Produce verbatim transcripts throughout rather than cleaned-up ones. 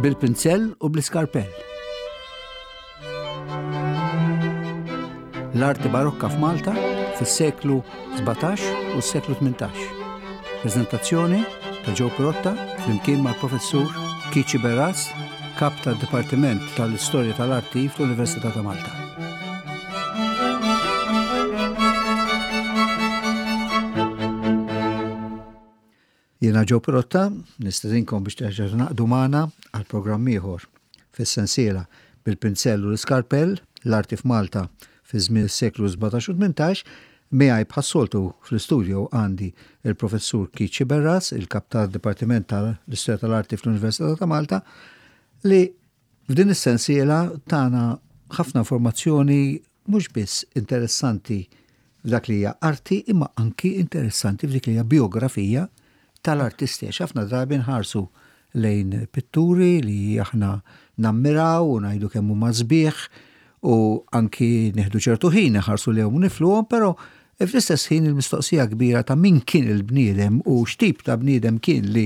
Bil-pinzell u bl-iskarpell. L-arti barokka f'Malta fis-seklu sbatax u s-seklu tmintax. Prezentazzjoni ta' Joe Pirotta flimkien mal-professur Keith Sciberras, kap tad-Dipartiment tal-Istorja tal-Arti fl-Università ta' Malta. Jiena Joe Pirotta, nistedinkom biex terġgħu naqdu magħna għal programm ieħor fis-sensiela bil-pinzell u l-iskarpell, l-arti f'Malta fi żmien is-seklu sbatax u tmintax. Miegħi bħas-soltu fl-istudio għandi il-professur Keith Sciberras, il-kap tad-Dipartiment tal-Istorja tal-Arti fl-Università ta' Malta, li f'din is-sensiela tana ħafna informazzjoni mhux biss interessanti f'dak li hija arti, imma anki interessanti f'dik li hija biografija tal-artisti. Għax ħafna drabi nħarsu lejn pitturi li aħna nammiraw u ngħidu kemm huma sbieħ u anki nieħdu ċertu ħin nħarsu lejhom u nifluhom, però fl-istess ħin il-mistoqsija kbira ta' min kien il-bniedem u x'tip ta' bniedem kien li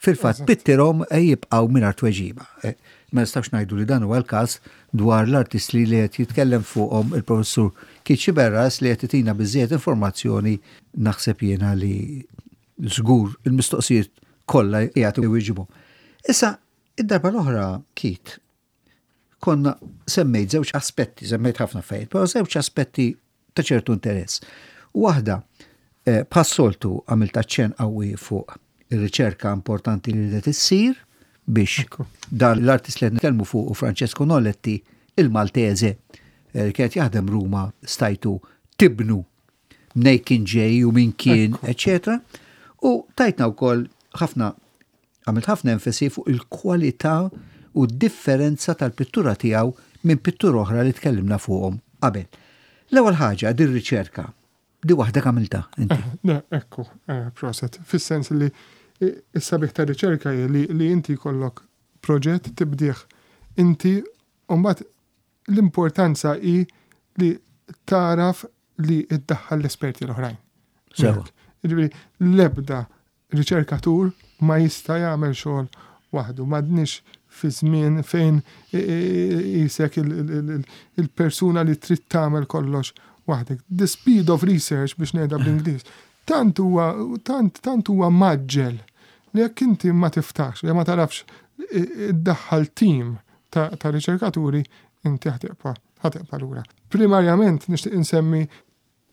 fil-fatt Eżatt. pittirhom jibqgħu mingħajr tweġiba. Eh, ma nistax ngħidu li dan huwa l-każ dwar l-artisti li qed jitkellem fuqhom il-professur Keith Sciberras, li qed itina biżżejjed informazzjoni, naħseb jiena li żgur il-mistoqsijiet kollha qiegħed iwieġibhom. Issa, id-darba l-oħra, Keith, konna semmejt żewġ aspetti, semmejt ħafna affarijiet, però żewġ aspetti ta' ċertu interess. Waħda, eh, bħas-soltu għamilt aċċenn qawwi fuq ir-riċerka importanti li qed issir biex Ekku. dan l-artist li qed nitkellmu fuq, Francesco Noletti, il-Maltese, eh, li kienet jaħdem Ruma, stajtu tibnu mnej kien ġej u min kien, Ekku. eccetera. U tajtna wkoll ħafna, għamilt ħafna enfasi fuq il-kwalità u d-differenza tal-pittura tiegħu minn pittura oħra li tkellimna fuqhom qabel. L-ewwel ħaġa, din riċerka, di waħda għamilta inti. Eh, ne, ekku, eh, proset. Fis-sens li is-sabiħ ta' riċerka hi li, li inti jkollok proġett tibdih inti, u mbagħad l-importanza hi li taraf li iddaħħal l-esperti l-oħrajn. Sewa. Jiġifieri l-ebda riċerkatur ma jista' jagħmel xogħol waħdu. M'għadniex fi żmien fejn jisek il-persuna li trid tagħmel kollox waħdek. The speed of research, biex ngħidha bl-Ingliż, tant huwa, tant, tant huwa maġġel li jekk inti ma tiftax, li ma tarafx iddaħħal team ta', ta' riċerkaturi, inti ħatibqa', ħatibqa' lura. Primarjament nixtieq insemmi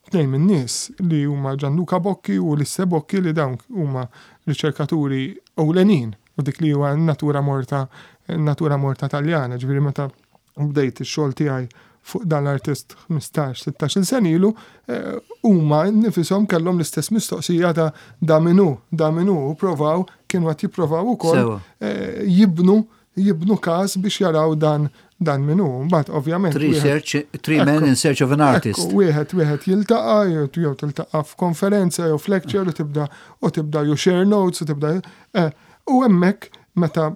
tnejn minn nies li huma Gianluca Bocchi u Lisse Bocchi, li dawn huma riċerkaturi ewlenin u dik li huwa natura morta, natura morta Taljana. Ġifieri meta bdejt ix-xogħol tiegħi fuq dan l-artist ħmistax, sittax-il sena ilu, eh, huma nifishom kellhom l-istess mistoqsija ta' da minu, da minu, u provaw, kienu qed jipprovaw ukoll, Sewa. eh, jibnu, jibnu każ biex jaraw dan, dan minu. Mbagħad ovvjament Three wieħed search, three men in search of an artist. Ekku, wieħed, wieħed jiltaqa', jew, jew tiltaqa' f'konferenza jew f'lecture u tibda, u tibda you share notes u tibda, eh, u hemmhekk meta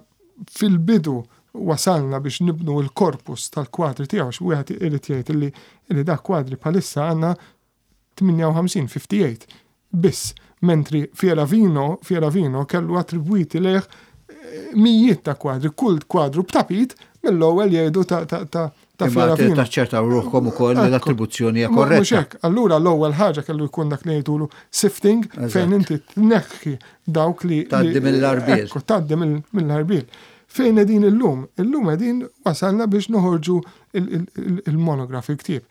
fil-bidu wasalna biex nibnu l-korpus tal-kwadri tiegħu, għax wieħed irid jgħid illi, illi dak kwadri bħalissa għandna tmienja u ħamsin, fifty-eight biss, mentri Fieravino, Fieravino kellu attribwiti lejh, eh, mijiet ta' kwadri, kull kwadru b'tapit mill-ewwel jgħidu ta', ta', ta', ta' Imma Fieravino. taċċertaw ruħkom ukoll li Ekku. l-attribuzzjoni hija Ma mhux korretta. hekk. Allura l-ewwel ħaġa kellu jkun dak li jgħidulu sifting, Eżatt. fejn inti tneħħi dawk li Tgħaddi li- mill-arbiel. Ekku, tgħaddi mill-, mill-arbiel. Fejn qegħdin illum? Illum qegħdin wasalna biex noħorġu il-, il-, il-, il-monograf, il-ktieb.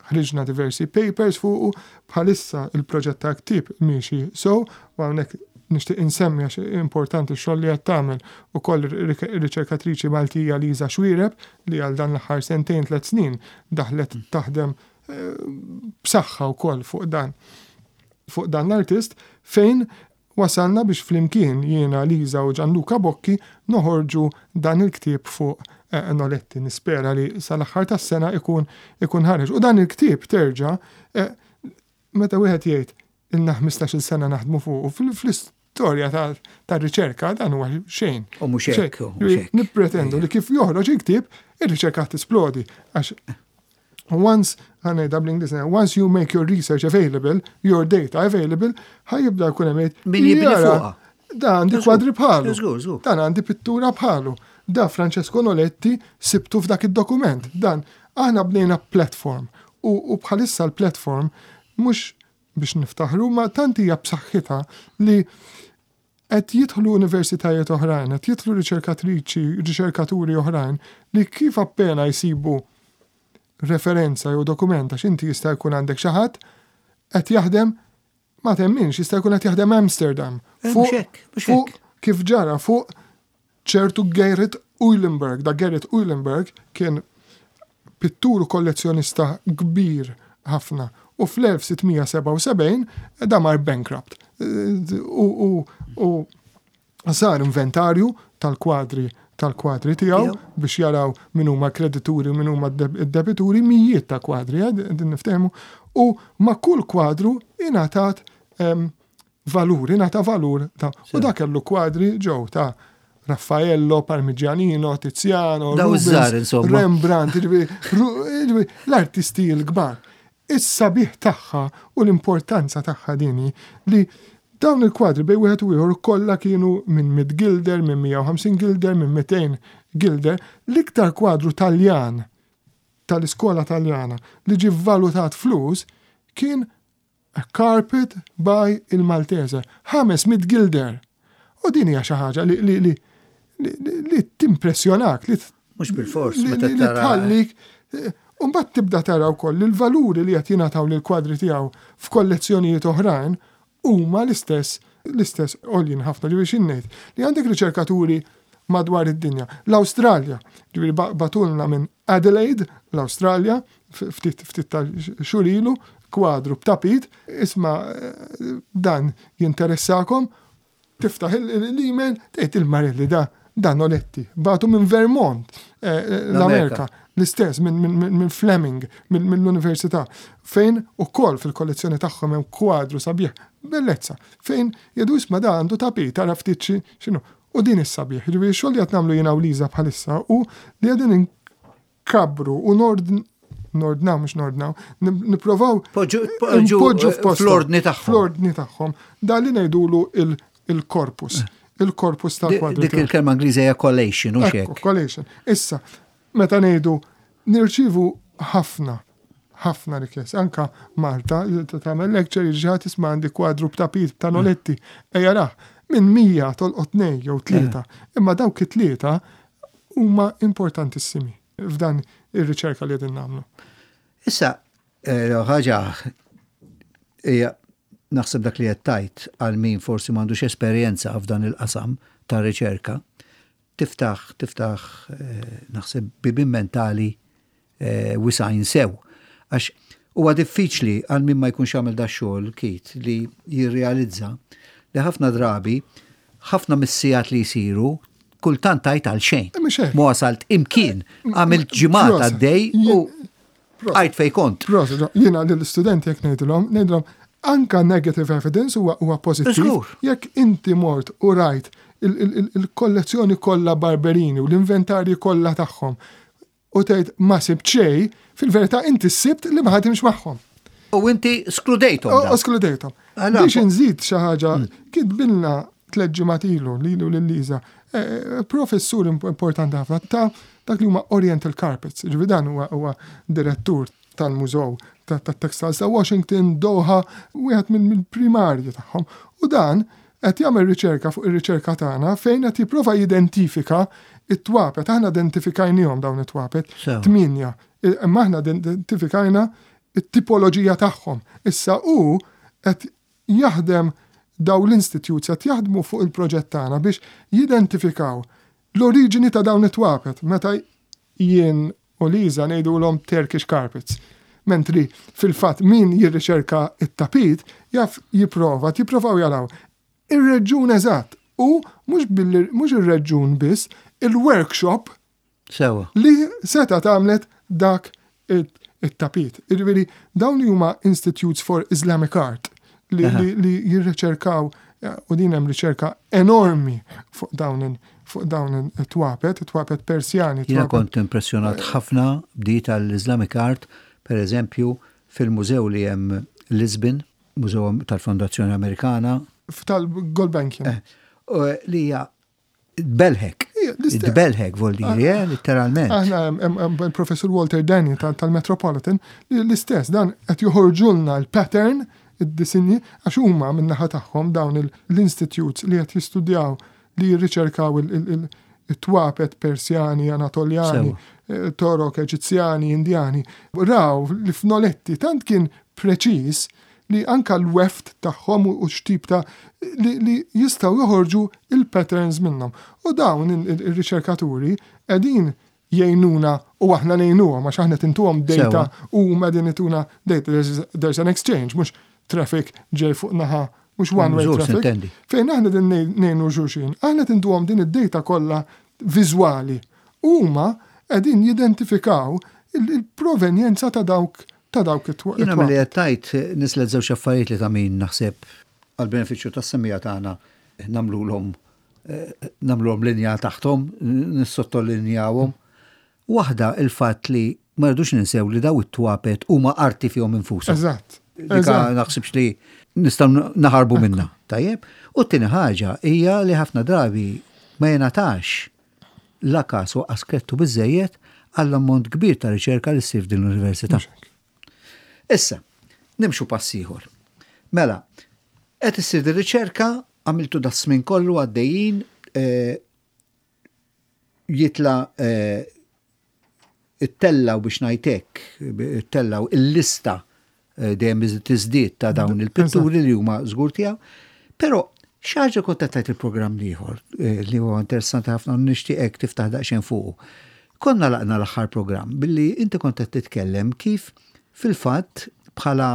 Ħriġna diversi papers fuqu, bħalissa il-proġett ta' ktieb miexi so, u hawnhekk nixtieq insemmi għax importanti x-xogħol li qed tagħmel ukoll ir-riċerkatriċi Maltija Liza Xuereb, li għal dan l-aħħar sentejn tliet snin daħlet taħdem, eh, b'saħħa wkoll fuq dan, fuq dan l-artist, fejn wasalna biex flimkien jiena Liza u Gianluca Bocchi noħorġu dan il-ktieb fuq, eh, Noletti. Nispera li sal-aħħar tas-sena ikun, ikun ħareġ. U dan il-ktieb terġa', eh, meta wieħed jgħid ilna ħmistax-il sena naħdmu fuq, u fil-, fl-istorja ta', ta' riċerka dan huwa xejn. U mhux Xejn. hekk, u mhux hekk. Nippretendu li kif joħroġ il-ktieb, ir-riċerka tisplodi. Għax once, ħa ngħidha bl-Ingliż, once you make your research available, your data available, ħa jibda jkun hemm jgħid, Min jibni Jara, fuqha. Da għandi Żgur, kwadri bħalu. żgur, żgur. Dan għandi pittura bħalu. Da Francesco Noletti sibtu f'dak id-dokument. Dan aħna bnejna platform u, u bħalissa l-platform mhux biex niftaħru, ma tant hija b'saħħitha li qed jidħlu universitajiet oħrajn, qed jidħlu riċerkatriċi, riċerkaturi oħrajn li kif appena jsibu referenza jew dokument, għax inti jista' jkun għandek xi ħadd qed jaħdem, ma temminx, jista' jkun qed jaħdem Amsterdam. Eh, mhux hekk, mhux Fuq hekk. kif ġara fuq ċertu Gerrit Uylenburg. Da Gerrit Uylenburg kien pittur u kollezzjonista kbir ħafna u fl-elf sitt mija sebgħa u sebgħin da mar bankrupt. U, u, u sar inventarju tal-kwadri tal-kwadri tiegħu Tiegħu. biex jaraw min huma kredituri u min huma d-debituri, mijiet ta' kwadri, eh, din niftehmu, u ma' kull kwadru ingħatat em, valur, ingħata valur ta' u dak kellu kwadri ġew ta' Raffaello, Parmigianino, Tiziano, Daw Rubens, iż-żgħar, insomma. Rembrandt, jiġifieri, ru- jiġifieri, l-artisti l-kbar. Is-sabiħ tagħha u l-importanza tagħha dini li dawn il-kwadri bej wieħed u ieħor kollha kienu minn mitt gilder, minn mija u ħamsin gilder, minn mitejn gilder. L-iktar kwadru Taljan tal-iskola Taljana li ġi valutat flus kien A Carpet by il Maltese, ħames mitt gilder. U din hija xi ħaġa li li li li, li, li timpressjonak, li Mhux bil-fors, li, meta li, li tara. tħallik. eh, Umbagħad tibda tara wkoll li l-valuri li qed jingħataw lil kwadri tiegħu f'kollezzjonijiet oħrajn huma l-istess l-istess għoljin ħafna. Ġifieri xi ngħid li għandek riċerkaturi madwar id-dinja. L-Awstralja, ġifieri ba- bagħtulna minn Adelaide, l-Awstralja, f- ftit ftit ta' xhur ilu, kwadru b'tapit, isma' eh, dan jinteressakom, tiftaħ il- il- l-email, tgħid il-Marelli, da dan Noletti, bagħtu minn Vermont, eh, eh, l-Amerika, l-istess minn min, min, min Fleming, minn mill-Università, fejn ukoll fil-kollezzjoni tagħhom hemm kwadru sabiħ, bellezza, fejn jgħidu, isma', da għandu tapit, tara ftit xi- x'inhu. U din is-sabiħ, ġifieri xogħol li qed nagħmlu jiena u Liża bħalissa u li qegħdin inkabru u nord nordnaw, mhux nordnaw, nipprovaw Poġġu poġġu npoġġu f'posthom. Fl-ordni tagħhom. Fl-ordni tagħhom. Da li ngħidulu il- il-korpus. Il-korpus tal-kwadru. Dik il-kelma Ingliża hija collation, u Ekku, hekk. collation. Issa, meta ngħidu nirċivu ħafna, ħafna rikjesti. Anka Malta, tagħmel lecture, jiġi, isma', għandi kwadru b'tapit ta' Noletti. Ejja rah, minn mija tolqot tnejn jew tlieta. Imma dawk it-tlieta huma importantissimi f'dan ir-riċerka li qegħdin nagħmlu. Issa, eh, ħaġa hija naħseb dak li qed tajt għal min forsi m'għandux esperjenza f'dan il-qasam ta' riċerka, tiftaħ tiftaħ eh, naħseb bibin mentali eh, wisgħin sew. Għax huwa diffiċli għal min ma jkunx għamel da xogħol kit li jirrealizza li ħafna drabi ħafna mis-sigħat li jsiru kultant tajt għal xejn. Eh, mhux hekk. Ma wasalt imkien, għamilt ġimgħat Proset. għaddej u Proset. għajt fej kont. Proset, jiena lill-istudenti jekk ngħidilhom, ngħidilhom anka negative evidence huwa huwa pożittiv. Żgur. Jekk inti mort u rajt il- il- il- il-kollezzjoni kollha Barberini u l-inventarji kollha tagħhom u tgħid ma sibt xejn, fil-verità inti sibt li ma ħadimx magħhom. U inti skludejthom. U dawn. Eskludejthom. Allora, Biex nżid xi ħaġa, kitbilna tliet ġimgħat ilu lilu lil Liża, eh, professur imp- importanti ħafna ta' dak li huma Oriental Carpets. Ġifieri dan huwa huwa direttur tal-Mużew ta' ta' Textiles ta' Washington, Doha, wieħed minn mill-primarji tagħhom. U dan qed jagħmel riċerka fuq ir-riċerka tagħna fejn qed jipprova jidentifika it-twapet. Aħna identifikajnihom dawn it-twapet. Sew. Tminja. Imma aħna identifikajna it-tipoloġija tagħhom. Issa u qed jaħdem, daw l-institutes qed jaħdmu fuq il-proġett tagħna biex jidentifikaw l-oriġini ta' dawn it-twapet meta jien u Liża ngħidulhom Turkish carpets. Mentri fil-fatt min jirriċerka it-tapit jaf jipprova, jipprovaw jaraw ir-reġjun eżatt u mhux billi mhux ir-reġjun biss, il-workshop Sewa. li seta għamlet dak it- it-tapit. Ġifieri dawn li huma Institutes for Islamic Art li, Aha. li, li jirriċerkaw eh, u din hemm riċerka enormi fuq dawn il- fuq dawn it-twapet, it-twapet Persjani. Jiena twapet- kont impressjonat ħafna b'di tal-Islamic Art, per eżempju, fil-mużew li hemm Lisbon, Mużew tal-Fondazzjoni Amerikana, Tal-Gulbenkian. eh, u li hija belħek. Id-belħek vuol dire, eh, letteralment. Aħna hemm il-Professur Walter Danny tal-Metropolitan li l-istess dan qed joħorġulna l-pattern, id-disinji, għax huma min-naħa tagħhom dawn l-institutes li qed jistudjaw, li jirriċerkaw it-twapet Persjani, Anatoljani, eh, Torok, Eġizzjani, Indjani, raw li f'Noletti tant kien preċiż li anka l-weft tagħhom u x'tip ta' li, li jistgħu joħorġu il-patterns minnhom. U dawn il-riċerkaturi qegħdin jgħinuna u aħna ngħinuhom għax aħna intuhom data u huma qegħdin ituna data. There's, there's an exchange, mhux traffic ġej fuq naħa, mhux one way traffic. Fejn aħna din ngħinu xulxin, aħna intuhom din id-data kollha viżwali. Huma qegħdin jidentifikaw il-provenjenza ta' dawk ta' dawk it-twapet. Jiena milli qed tgħid nislet żewġ affarijiet li ta' min naħseb għal-benefiċċju tas-semmiegħa tagħna nagħmluhom eh, nagħmluhom linja taħthom, nissottolinjawhom. Waħda, il-fatt li ma rridux ninsew li daw it-twapet huma arti fihom infushom. Eżatt. Dika naħsibx li nistgħu naħarbu minna. Tajjeb. U t-tieni ħaġa hija li ħafna drabi ma jingħatax la kas u askrettu biżejjed għall-ammont kbir ta' riċerka li ssir din l-università. Issa, nimxu pass ieħor. Mela, qed issir din riċerka, għamiltu das-smin kollu għaddejjin, eh, jitla eh, ittellaw biex ngħidlek, ittellaw il-lista eh, dejjem tiżdied ta' dawn il-pitturi li huma żgur tiegħu. Però xi ħaġa kont tajt il-programm ieħor li huwa interessanti ħafna, nixtieqek tiftaħ daqsxejn fuqu. Konna laqna l-aħħar programm billi inti kont qed titkellem kif fil-fatt bħala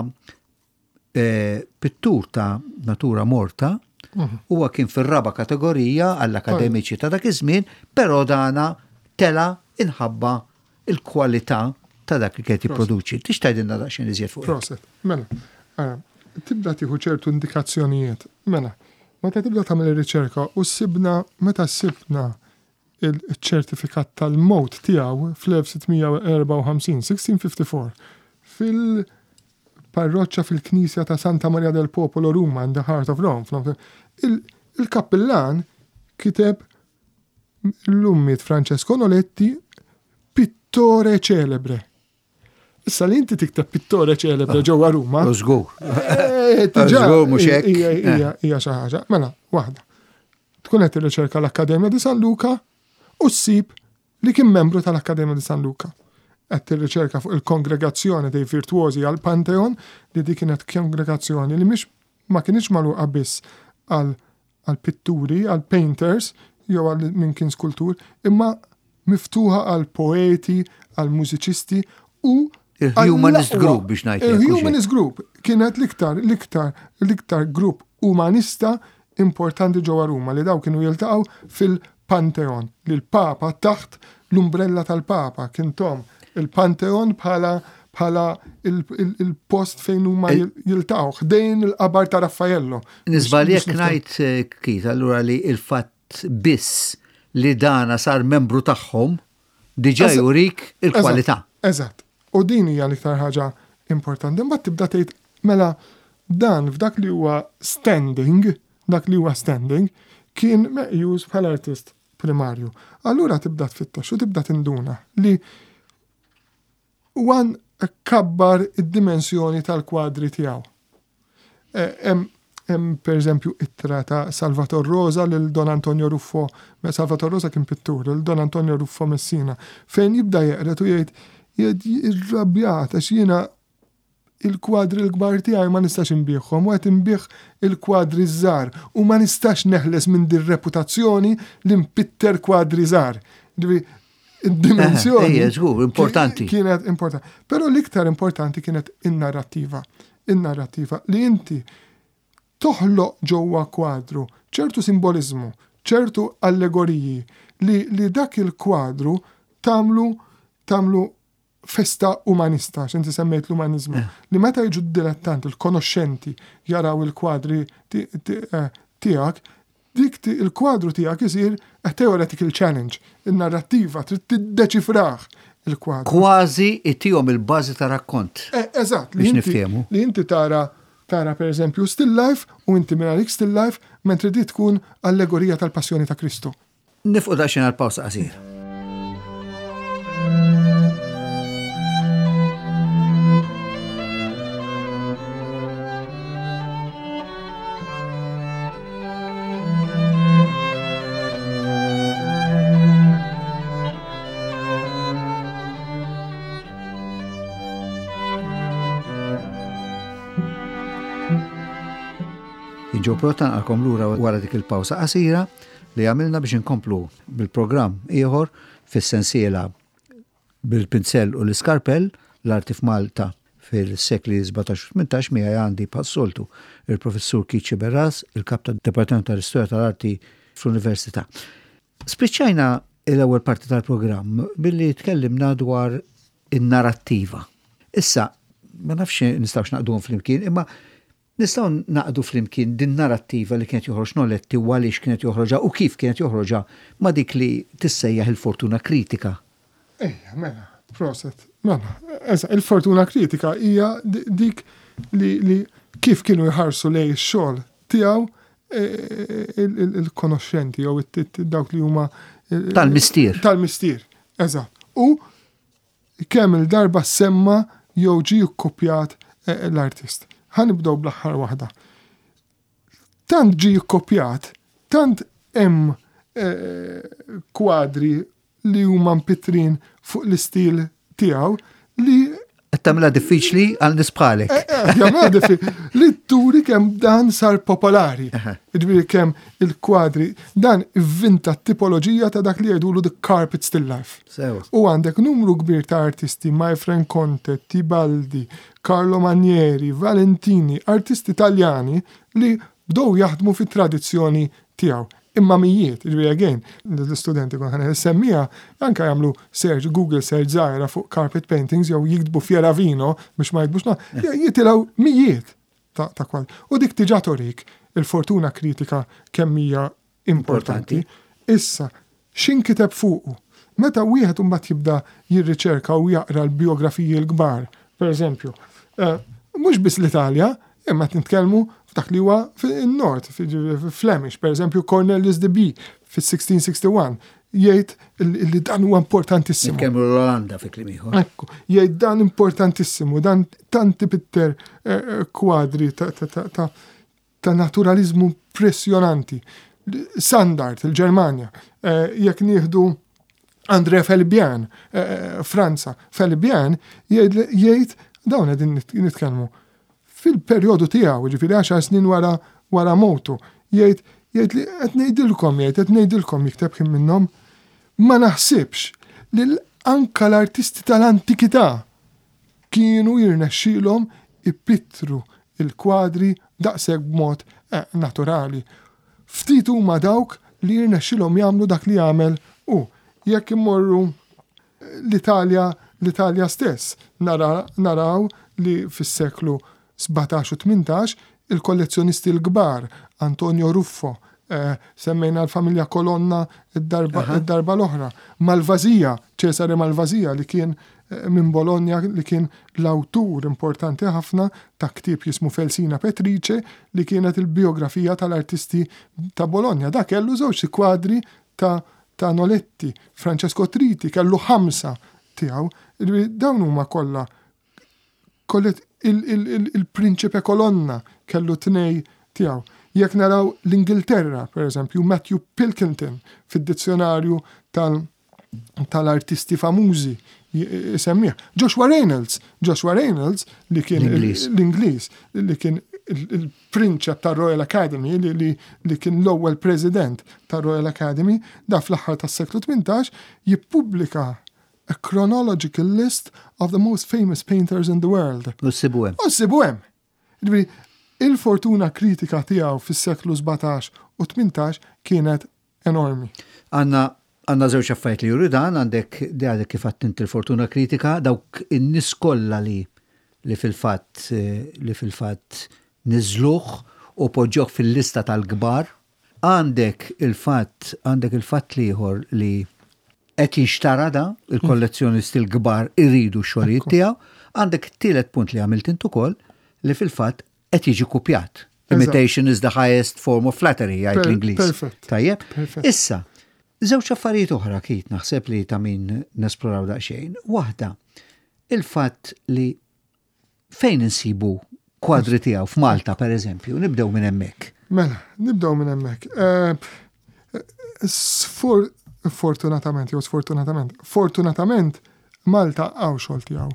eh, pittur ta' natura morta mhm. huwa kien fir-raba kategorija għall-akademiċi ta' dak iż-żmien, però dana tela inħabba il-kwalità ta' dak li kien jipproduċi. Tix tgħidilna daqsxejn iżjed fuq? Proset. Mela, tibda tieħu ċertu indikazzjonijiet. Mela, meta tibda tagħmel ir-riċerka u sibna meta sibna il-ċertifikat tal-mot tiegħu fl-elf sitt mija u erbgħa u ħamsin, sixteen fifty-four, fil-parroċċa, fil-Knisja ta' Santa Maria del Popolo, Ruma, in the heart of Rome. Il-kappillan kiteb: "Illum miet Francesco Noletti, pittore celebre." Issa li inti tikteb "pittore celebre" ah, ġewwa Ruma. Żgur. Eh, Żgur mhux hekk. Hija xi ħaġa. Mela, waħda. Tkun qed tirriċerka l-Akkademja di San Luca u ssib li kien membru tal-Akkademja di San Luca. Qed tirriċerka fuq il-Kongregazzjoni dei Virtuosi għal Pantheon, li di kienet kongregazzjoni li mhix ma kienx magħluqa biss għal għal pitturi, għal painters, jew għal min kien skultur, imma miftuħa għal poeti, għal mużiċisti u Il-Humanist Group biex ngħid. Il-Humanist Group kienet l-iktar, l-iktar, l-iktar grupp umanista importanti ġewwa Ruma, li daw kienu jiltaqgħu fil-Pantheon, li l-Papa, taħt l-umbrella tal-Papa kien tom il-Pantheon bħala bħala il-post fejn huma jiltaqgħu ħdejn il-qabar ta' Raffaello. Niżbalja jekk ngħid, eh, Keith, allura li il-fatt biss li dana sar membru tagħhom diġà jurik il-kwalità. Eżatt. U din hija l-iktar ħaġa importanti. Imbagħad tibda tgħid, mela dan f'dak li huwa standing, dak li huwa standing, kien meqjus bħala artist primarju. Allura tibda tfittex u tibda tinduna li wan kabbar id-dimensjoni tal-kwadri tiegħu. E, hemm per eżempju ittra ta' Salvator Rosa lil Don Antonio Ruffo, Salvator Rosa kien pittur, lil Don Antonio Ruffo Messina, fejn jibda jeqret u jgħid jgħid irrabjat għax jiena il-kwadri l-kbar tiegħi ma nistax inbiegħhom u qed inbigħ il-kwadri żgħar u ma nistax neħles minn din reputazzjoni li npitter kwadri żgħar. Id-dimensjoni. Ejja, żgur, importanti. Kienet importanti. Però l-iktar importanti kienet in-narrattiva. In-narrattiva li inti toħloq ġewwa kwadru ċertu simbolizmu, ċertu allegoriji li, li dak il-kwadru tagħmlu tagħmlu festa umanista, x'inti semmejt l-umanizmu, eh. li meta jiġu d-dilettanti, il-konoxxenti jaraw il-kwadri eh, tiegħek, dik il-kwadru tiegħek isir a theoretical challenge. Il-narrattiva trid tiddeċifrah il-kwadru. Kważi ittihom il-bażi ta' rakkont. Eh, eżatt, li inti, li inti tara tara per eżempju still life u inti minn għalik still life, mentri di tkun allegorija tal-passjoni ta' Kristu. Nieqfu daqsxejn għal pawsa qasira. Joe Protan għalkom lura wara dik il-pawsa qasira li għamilna biex inkomplu bil-programm ieħor fis-sensiela bil-pinzell u l-iskarpell l-arti f'Malta fil-sekli sbatax u tmintax. Miegħi għandi bħas-soltu il-professur Keith Sciberras, il-kap tad-Dipartiment tal-Istorja tal-Arti fl-Università. Spiċċajna l-ewwel parti tal-programm billi tkellimna dwar in-narrattiva. Issa, ma nafx nistgħux naqduhom flimkien, imma nistgħu naqdu flimkien din narrattiva li kienet joħroġ Noletti u għaliex kienet joħroġha u kif kienet joħroġha ma' dik li tissejjaħ il-fortuna kritika. Ejja, mela, proset. Mela, eża, il-fortuna kritika hija di-, dik li, li kif kienu jħarsu lej ix-xogħol tiegħu, e, il-, il-, il-konoxxenti jew it-, it-, dawk li huma il-, Tal-mistier. Tal-mistier, eżatt. U kemm il-darba semma jew ġie kkopjat, e, l-artist. Ħa nibdew bl-aħħar waħda. Tant ġie kkopjat, tant hemm, eh, kwadri li huma mpitrin fuq l-istil tiegħu li Qed tagħmilha diffiċli għal nies bħalek. Eh, eh, jagħmilha diffiċli li turi kemm dan sar popolari. Aha. Jiġifieri kemm il-kwadri dan ivvinta t-tipoloġija ta' dak li jgħidulu the carpet still life. Sewa. U għandek numru kbir ta' artisti, Maifren Conte, Tibaldi, Carlo Manieri, Valentini, artisti Taljani li bdew jaħdmu fit-tradizzjoni tiegħu. Imma mijiet, jiġifieri again, l-istudenti kon ħana semmija, anka jagħmlu search, Google search żgħira fuq carpet paintings jew jiktbu Fieravino biex ma jiktbux na, jitilgħu mijiet ta', ta' kwal. U dik diġà torik il-fortuna kritika kemm hija importanti. Importanti. Issa, x'inkiteb fuqu? Meta wieħed imbagħad jibda jirriċerka u jaqra l-biografiji l-kbar, per eżempju, eh, mhux biss l-Italja, imma qed nitkellmu f'dak li huwa fin-Nord, fi-, Flemish, per eżempju Cornelius de Bie fis-sixteen sixty-one, jgħid il-, li dan huwa importantissimu. Nitkellmu l-Olanda fi kliem ieħor. Ekku, jgħid dan importantissimu, dan tanti pitter, eh, eh, kwadri ta', ta', ta', ta', ta' naturalizmu impressjonanti. Sandart, il-Ġermanja, eh, jekk nieħdu André Felibien, eh, eh, Franza, Felibien jgħid, jgħid dawn qegħdin nit-, nitkellmu fil-perjodu tiegħu, jiġifieri għaxar snin wara, wara mowtu, jgħid, jgħid li qed ngħidilkom, jgħid qed ngħidilkom jikteb kien minnhom, ma naħsibx li l-, anka l-artisti tal-antikità kienu jirnexxielhom ipittru il-kwadri daqshekk b'mod, eh, naturali. Ftit huma dawk li jirnexxielhom jagħmlu dak li jagħmel hu. Jekk immorru l-Italja, l-Italja stess, nara, naraw li fis-seklu sbatax u tmintax il-kollezzjonisti l-kbar, Antonio Ruffo, eh, semmejna l-familja Colonna id-darba, Aha. id-darba l-oħra, Malvasia, Cesare Malvasia li kien, eh, minn Bologna, li kien l-awtur importanti ħafna ta' ktieb jismu Felsina Petrice, li kienet il-biografija tal-artisti ta' Bologna. Da kellu żewġ kwadri ta', ta' Noletti, Francesco Triti kellu ħamsa tiegħu. Ġifieri dawn huma kollha kollet il-, il-, il-, il-Prinċipe Colonna kellu tnej tiegħu. Jekk naraw l-Ingilterra, per eżempju, Matthew Pilkington fid-dizzjonarju tal-, tal-artisti famużi jisemmih. Joshua Reynolds, Joshua Reynolds li kien il- L-Ingliż. l-Ingliż, li kien il-, il-prinċep tar-Royal Academy, li, li, li kien l-ewwel president tar-Royal Academy, da fl-aħħar tas-seklu tmintax jippubblika a chronological list of the most famous painters in the world. U ssibu hemm. U ssibu hemm. Ġifieri, il-fortuna kritika tiegħu fis-seklu sbatax u tmintax kienet enormi. Għanna, għanna żewġ affarijiet li juru dan, għandek di għadek kif għattint il-fortuna kritika, dawk in-nies kollha li, li fil-fatt, eh, li fil-fatt niżluh u poġġoh fil-lista tal-kbar. Għandek il-fatt, għandek il-fatt liħor li qed jinxtara da, il-kollezzjonisti l-kbar iridu x-xogħlijiet Ekku. tiegħu. Għandek it-tielet punt li għamilt int ukoll li fil-fatt qed jiġi kopjat. Eżatt. Imitation is the highest form of flattery, jgħid Per- l-Ingliż. Perfett. Tajjeb? Perfett. Issa, Żewġ affarijiet oħra, Keith, naħseb li ta' min nesploraw daqsxejn. Waħda, il-fatt li fejn insibu kwadri tiegħu f'Malta, per eżempju, nibdew minn hemmhekk. Mela, nibdew minn hemmhekk. Eh, sfor- Fortunatament, jew sfortunatament, fortunatament Malta hawn xogħol tiegħu.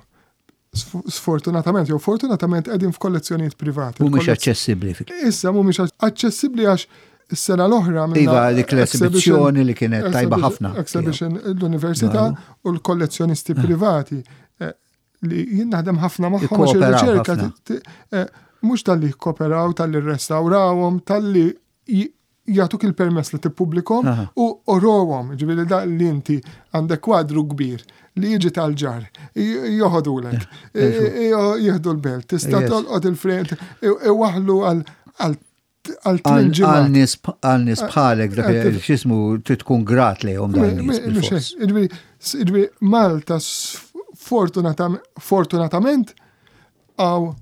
Sf- Sfortunatament, jew fortunatament qegħdin f'kollezzjonijiet privati. Mhumiex Il-kollezz- aċċessibbli. fi- Issa mhumiex aċċessibbli għax is-sena l-oħra minna Iva, dik l-esibizzjoni li kienet tajba ħafna. Exhibition l-università u l-kollezzjonisti privati eh, li jien naħdem ħafna magħhom għax Ikkooperaw ir-riċerka ħafna. ti- eh, mhux talli jkoperaw, talli rrestawrawhom, talli j- jagħtuk il-permess li tippubblikhom Aha. u uruhom, ġifieri da li inti għandek kwadru kbir li jiġi tal-ġar, j- joħodulek, jieħdu l-belt, tista' Yes. tolqot il-frame, iwaħlu għal għal għal Għal tmien ġimgħat. nies għal nies bħalek dak Eh, x'ismu trid tkun grat lejhom dan nies bil-fors. Ġifieri, ġifieri, Malta sfortunatam- fortunatament hawn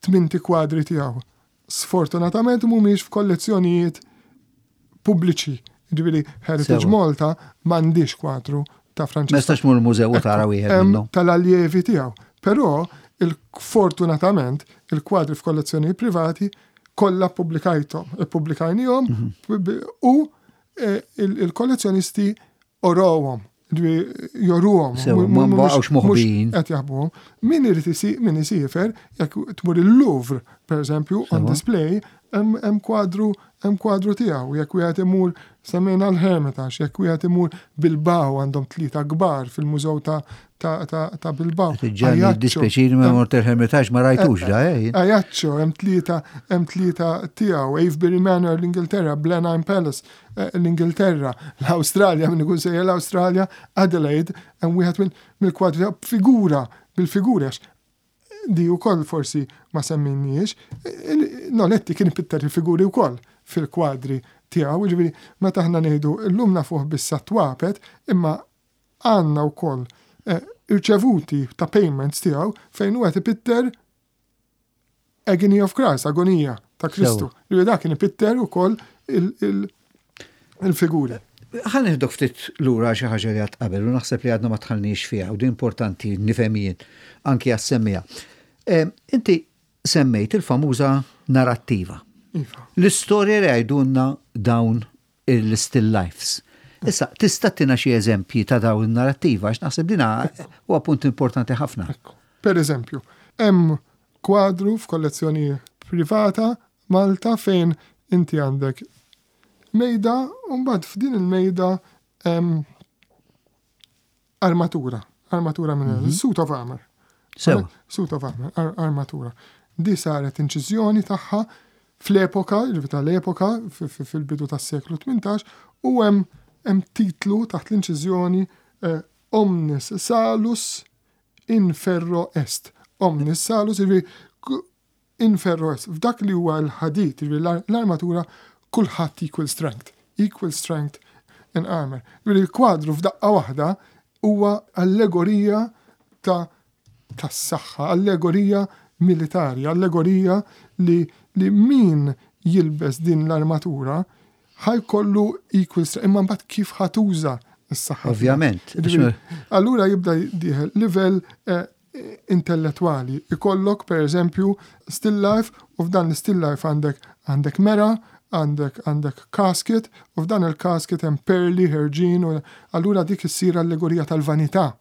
tminti kwadri tiegħu. Sfortunatament mhumiex f'kollezzjonijiet pubbliċi. Ġifieri Heritage Sewa. Malta m'għandix kwadru ta' Ma Francesco jistax mur mużew u tara wieħed Hemm minnhom. tal-allievi tiegħu. Però il-fortunatament il-kwadri f'kollezzjonijiet privati kollha pubblikajthom, ippubblikajnihom Mhm. u eh, il- il-kollezzjonisti uruhom, ġifieri juruhom. Sewa, Mu- ma mu- baqgħux mhux- moħbijin. mhux Qed jaħbuhom. Min irid isi min isiefer, jekk tmur il-Louvre, per eżempju, on Sewa. display, hemm hemm kwadru hemm kwadru tiegħu. Jekk wieħed imur semmejna l-Hermitage, jekk wieħed imur Bilbao, għandhom tlieta kbar fil-mużew ta' ta' ta' ta' Bilbao. Ġanni Ajaccio, dispjaċini ma mort il-Hermitage, ma rajtux da, eh? Ajaccio, hemm tlieta hemm tlieta tiegħu, Avebury Manor l-Ingilterra, Blenheim Palace eh, l-Ingilterra, l-Awstralja, min ikun sejjer l-Awstralja, Adelaide, hemm wieħed minn mill-kwadri tiegħu figura, bil-figura għax di wkoll forsi ma semminniex, Noletti kien ipitter il-figuri wkoll fil-kwadri tiegħu, ġifieri meta aħna ngħidu llum nafuh bis-sat-twapet, imma għandna wkoll eh, irċevuti ta' payments tiegħu fejn hu qed ipitter Agony of Christ, agonija ta' Kristu. Li dak kien ipitter ukoll il-figuri. Ħa neħdok ftit lura xi ħaġa li għedt qabel u naħseb li għadna ma dħalniex fiha u din importanti nifhem jien anki għas-semmija. Inti semmejt il-famuża narrattiva. Iva. L-istorja li għajdunna dawn il-still lifes. Issa, tista' tina xi eżempji ta' dawn il-narrattiva, għax naħseb dina huwa punt importanti ħafna. Per eżempju, hemm kwadru f'kollezzjoni privata Malta fejn inti għandek mejda u mbagħad f'din il-mejda hemm armatura, armatura minn mm -hmm. suit of armor. Sewa. Suit of armor, ar armatura. Di saret inċiżjoni tagħha fl-epoka, ġifieri tal-epoka, fil-bidu tas-seklu tmintax, u hemm hemm titlu taħt l-inċiżjoni eh, Omnis Salus in ferro est. Omnis Salus, ġifieri in ferro est. F'dak li huwa l-ħadid, ġifieri l-armatura, kulħadd equal strength. Equal strength in armor. Ġifieri l-kwadru f'daqqa waħda huwa allegorija ta' tas-saħħa, allegorija militari, allegorija li, li min jilbes din l-armatura ħa jkollu equal strength, imma mbagħad kif ħa tuża s-saħħa. Ovvjament. Allura jibda dieħel livell eh, intellettuali. Ikollok per eżempju still life u f'dan l-still life għandek għandek mera, għandek għandek casket u f'dan il-casket hemm perli, ħerġin u allura dik issir allegorija tal-vanità.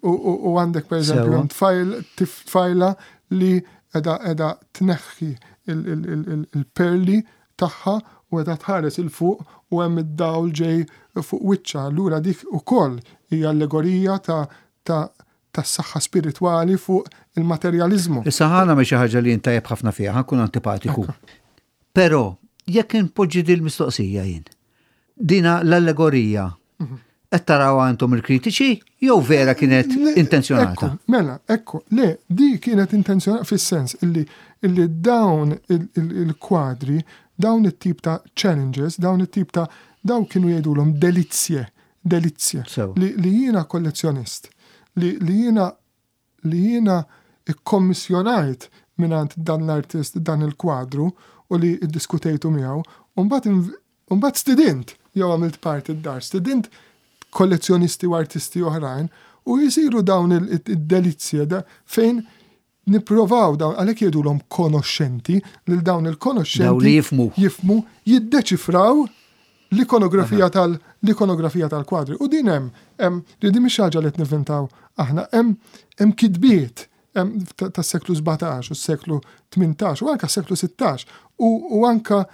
U, u, u għandek per eżempju hemm tfajl, tfajla li edha edha tneħħi il-perli tagħha u edha tħares 'il fuq u hemm id-dawl ġej fuq wiċċha. Allura dik ukoll hija allegorija ta' ta' tas-saħħa spiritwali fuq il-materjalizmu. Issa ħa nagħmel xi ħaġa li jien tajjeb ħafna fiha, ħa nkun antipatiku. Però jekk inpoġġi din mistoqsija jien, dina l-allegorija, qed tarawha intom il-kritiċi jew vera kienet intenzjonata? Ekku, mela, ekku, le, di kienet intenzjonata fis-sens illi, illi dawn il-kwadri, dawn it-tip ta' challenges, dawn it-tip ta' dawn kienu jgħidulhom delizzje, delizzje. Li, li jiena kollezzjonist, li, li jiena li jiena ikkommissjonajt mingħand dan l-artist dan il-kwadru u li iddiskutejtu miegħu, u mbagħad Mbagħad stidint, jew għamilt parti d-dar, stidint kollezzjonisti u artisti oħrajn u jisiru dawn id-delizzje fejn nipprovaw dawn, għalhekk jgħidulhom konoxxenti, lil dawn il-konoxxenti. Dawn li jifhmu. Jifhmu, jiddeċifraw l-ikonografija tal l-ikonografija tal-kwadri. U din hemm, hemm li din mhix ħaġa li qed nivvintaw aħna, hemm hemm kitbiet tas-seklu sbatax u s-seklu tmintax u anka s-seklu sittax u, u anka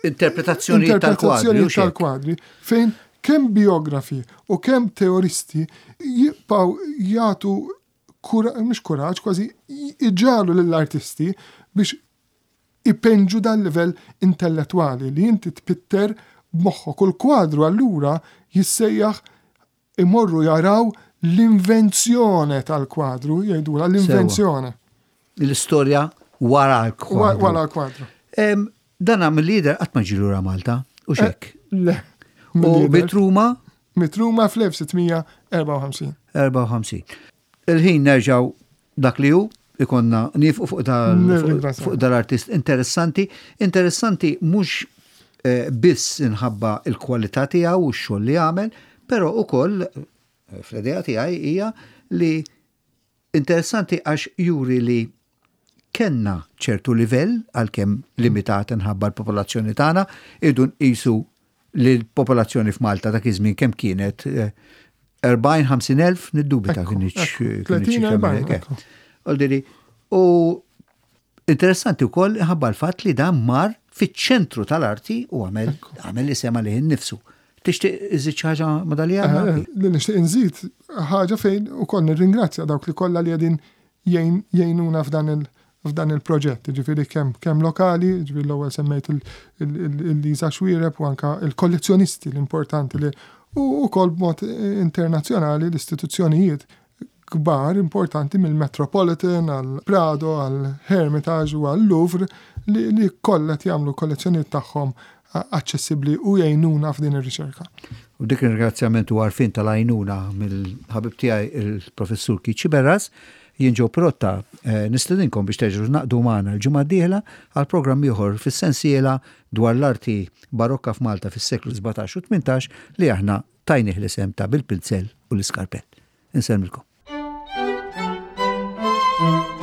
interpretazzjoni tal-kwadri, tal-kwadri fejn kemm biografi u kemm teoristi jibqgħu jagħtu mhux kuraġġ, kważi iġalu lill-artisti biex ipenġu dal livell intellettwali li inti tpitter b'moħħok. U l-kwadru allura jissejjaħ imorru jaraw l-invenzjoni tal-kwadru, jgħidula l-invenzjoni. L-istorja wara l-kwadru. Wara l-kwadru. Dan mill-lider qatt ma ġie lura Malta, u xek? Le. U miet Ruma? Miet Ruma fl-elf sittmija erbgħa u ħamsin. Erbgħa u ħamsin. Il-ħin nerġaw dak li hu, ikonna nifqu fuq fuq dal-artist interessanti. Interessanti mhux, eh, biss inħabba il-kwalità tiegħu u x-xogħol li għamel, però ukoll, eh, fl-idea tiegħi hija li interessanti għax juri li kenna ċertu livell għalkemm limitat inħabba l-popolazzjoni tagħna, irdu nqisu li l-popolazzjoni f'Malta dak iż-żmien kemm kienet, eh, erbgħin, ħamsin elf, niddubita Ekku, kien iċ- ekku, kien iċ- tletin, kemm erbgħin, hekk. ekku. Oldiri, u interessanti wkoll ħabba l-fatt li dan mar fiċ-ċentru tal-arti u għamel Ekku. għamel li sema lih innifsu. Tixtieq iżid xi ħaġa ma' dal Eh, għandna? eh, li nixtieq inżid ħaġa fejn ukoll nirringrazzja dawk li kollha li qegħdin jgħin-, jgħinuna f'dan il-, f'dan il-proġett, ġifieri kemm, kemm lokali, ġifieri l-ewwel semmejt il-, il-, il-, il-Liza Xuereb u anka il-kollezzjonisti l-importanti li u wkoll b'mod internazzjonali l-istituzzjonijiet kbar importanti mill-Metropolitan għal Prado, għal Hermitage u għal Louvre li, li kollha qed jagħmlu kollezzjonijiet tagħhom aċċessibbli u jgħinuna f'din ir-riċerka. U dik ir-ringrazzjament u għarfien tal-għajnuna mill-ħabib tiegħi il-professur Keith Sciberras, jien Joe Pirotta, eh, nistedinkom biex terġgħu naqdu magħna l-ġimgħa d-dieħla għal programm ieħor fis-sensiela dwar l-arti barokka f'Malta fis-seklu sbatax u tmintax li aħna tajnih l-isem ta' bil-pinzell u l-iskarpell. Insellmilkom. Thank you.